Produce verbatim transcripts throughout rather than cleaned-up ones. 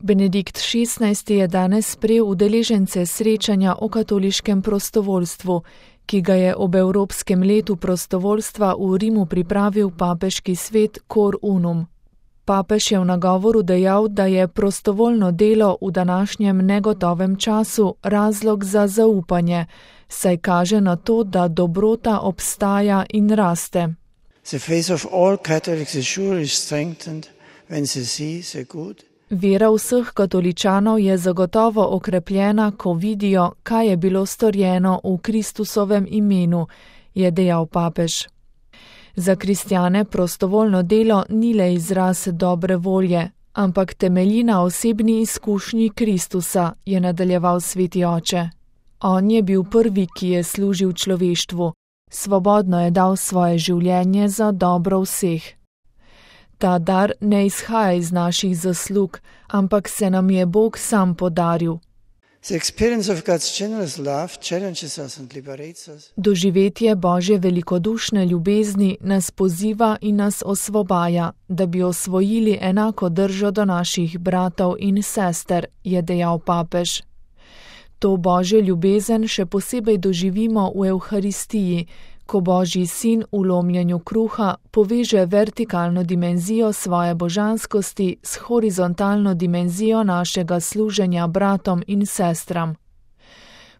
Benedikt šestnajsti je danes sprejel udeležence srečanja o katoliškem prostovoljstvu, ki ga je ob Evropskem letu prostovoljstva v Rimu pripravil papeški svet Cor Unum. Papež je v nagovoru dejal, da je prostovoljno delo v današnjem negotovem času razlog za zaupanje, saj kaže na to, da dobrota obstaja in raste. The faith of all Catholics is surely strengthened when they see the good. Vera vseh katoličanov je zagotovo okrepljena, ko vidijo, kaj je bilo storjeno v Kristusovem imenu, je dejal papež. Za kristjane prostovoljno delo ni le izraz dobre volje, ampak temelji na osebni izkušnji Kristusa, je nadaljeval sveti oče. On je bil prvi, ki je služil človeštvu, svobodno je dal svoje življenje za dobro vseh. Ta dar ne izhaja iz naših zaslug, ampak se nam je Bog sam podaril. Doživetje Božje velikodušne ljubezni nas poziva in nas osvobaja, da bi osvojili enako držo do naših bratov in sester, je dejal papež. To Božjo ljubezen še posebej doživimo v Evharistiji, ko Božji sin v lomljenju kruha poveže vertikalno dimenzijo svoje božanskosti s horizontalno dimenzijo našega služenja bratom in sestram.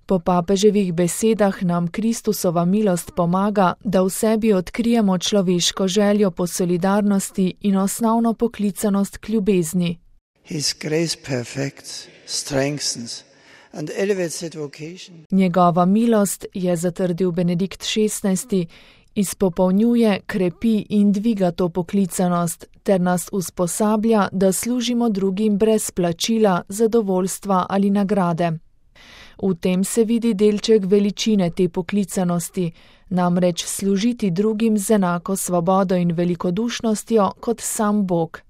Po papeževih besedah nam Kristusova milost pomaga, da v sebi odkrijemo človeško željo po solidarnosti in osnovno poklicanost k ljubezni. His grace perfects, strengthens and elevates that vocation. Njegova milost, je zatrdil Benedikt šestnajsti, izpopolnjuje, krepi in dviga to poklicanost, ter nas usposablja, da služimo drugim brez plačila, zadovoljstva ali nagrade. V tem se vidi delček veličine te poklicanosti, namreč služiti drugim z enako svobodo in velikodušnostjo kot sam Bog.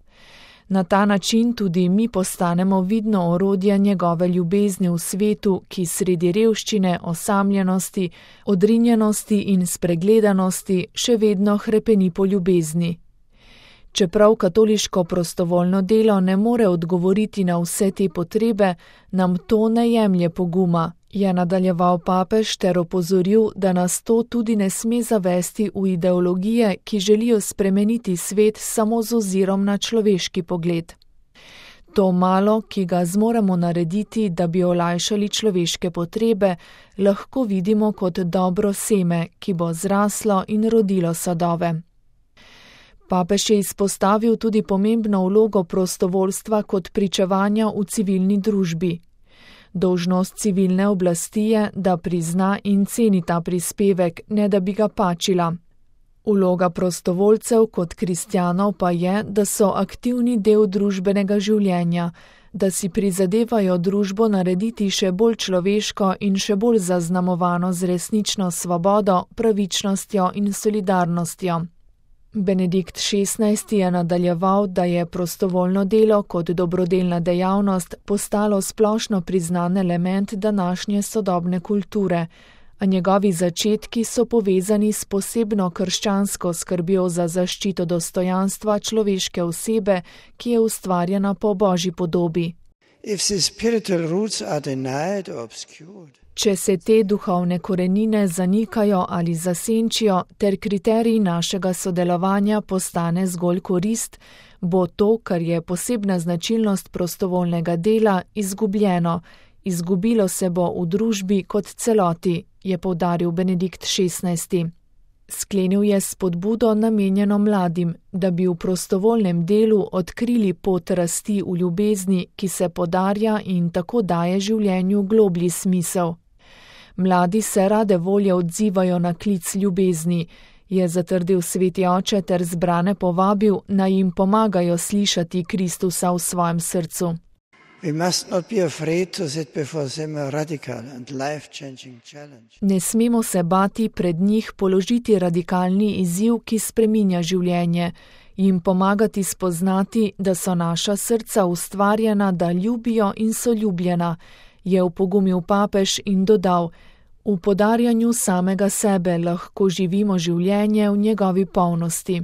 Na ta način tudi mi postanemo vidno orodje njegove ljubezni v svetu, ki sredi revščine, osamljenosti, odrinjenosti in spregledanosti še vedno hrepeni po ljubezni. Čeprav katoliško prostovoljno delo ne more odgovoriti na vse te potrebe, nam to ne jemlje poguma, je nadaljeval papež ter opozoril, da nas to tudi ne sme zavesti v ideologije, ki želijo spremeniti svet samo z ozirom na človeški pogled. To malo, ki ga zmoremo narediti, da bi olajšali človeške potrebe, lahko vidimo kot dobro seme, ki bo zraslo in rodilo sadove. Papež je izpostavil tudi pomembno vlogo prostovoljstva kot pričevanja v civilni družbi. Dolžnost civilne oblasti je, da prizna in ceni ta prispevek, ne da bi ga pačila. Vloga prostovoljcev kot kristjanov pa je, da so aktivni del družbenega življenja, da si prizadevajo družbo narediti še bolj človeško in še bolj zaznamovano z resnično svobodo, pravičnostjo in solidarnostjo. Benedikt šestnajsti je nadaljeval, da je prostovoljno delo kot dobrodelna dejavnost postalo splošno priznan element današnje sodobne kulture, a njegovi začetki so povezani s posebno krščansko skrbjo za zaščito dostojanstva človeške osebe, ki je ustvarjena po Božji podobi. If the spiritual roots are denied or obscured, Če se te duhovne korenine zanikajo ali zasenčijo, ter kriterij našega sodelovanja postane zgolj korist, bo to, kar je posebna značilnost prostovoljnega dela, izgubljeno, izgubilo se bo v družbi kot celoti, je poudaril Benedikt šestnajsti. Sklenil je spodbudo namenjeno mladim, da bi v prostovoljnem delu odkrili pot rasti v ljubezni, ki se podarja in tako daje življenju globlji smisel. Mladi se rade volje odzivajo na klic ljubezni, je zatrdil sveti oče ter zbrane povabil, naj jim pomagajo slišati Kristusa v svojem srcu. we must not be afraid to set before them a radical and life-changing challenge. Ne smemo se bati pred njih položiti radikalni izziv, ki spreminja življenje, jim pomagati spoznati, da so naša srca ustvarjena, da ljubijo in so ljubljena, je opogumil papež in dodal, v podarjanju samega sebe lahko živimo življenje v njegovi polnosti.